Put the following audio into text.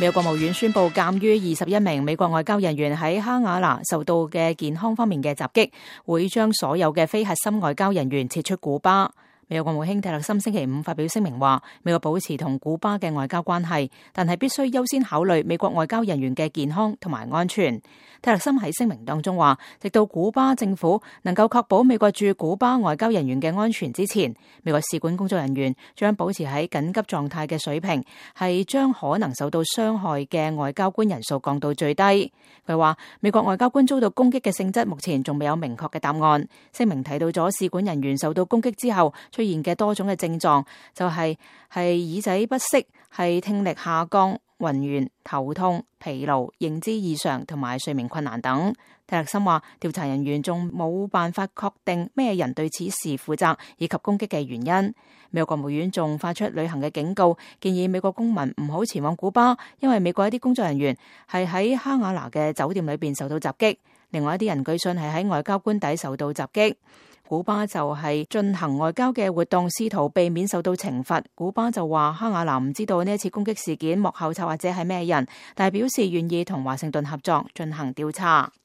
美國國務院宣布，鑑於21名美國外交人員喺哈瓦那受到嘅健康方面嘅襲擊，會將所有嘅非核心外交人員撤出古巴。美國國務卿蒂勒森星期五發表聲明話，美國保持同古巴嘅外交關係，但係必須優先考慮美國外交人員嘅健康同埋安全。蒂勒森喺聲明當中話，直到古巴政府能夠確保美國駐古巴外交人員嘅安全之前，美國使館工作人員將保持喺緊急狀態嘅水平，係將可能受到傷害嘅外交官人數降到最低。佢話，美國外交官遭到攻擊嘅性質目前仲未有明確嘅答案。聲明提到咗使館人員受到攻擊之後出現嘅多種嘅症狀，就係耳仔不適，係聽力下降、暈眩、頭痛、疲勞、認知異常同埋睡眠困難等。蒂勒森話，調查人員仲冇辦法確定咩人對此事負責以及攻擊嘅原因。美國國務院仲發出旅行嘅警告，建議美國公民唔好前往古巴，因為美國一啲工作人員係喺哈瓦那嘅酒店裏邊受到襲擊，另外一啲人據信係喺外交官邸受到襲擊。古巴就係進行外交嘅活動，試圖避免受到懲罰。古巴就話哈瓦那唔知道呢一次攻擊事件幕後策劃者係咩人，但係表示願意同華盛頓合作進行調查。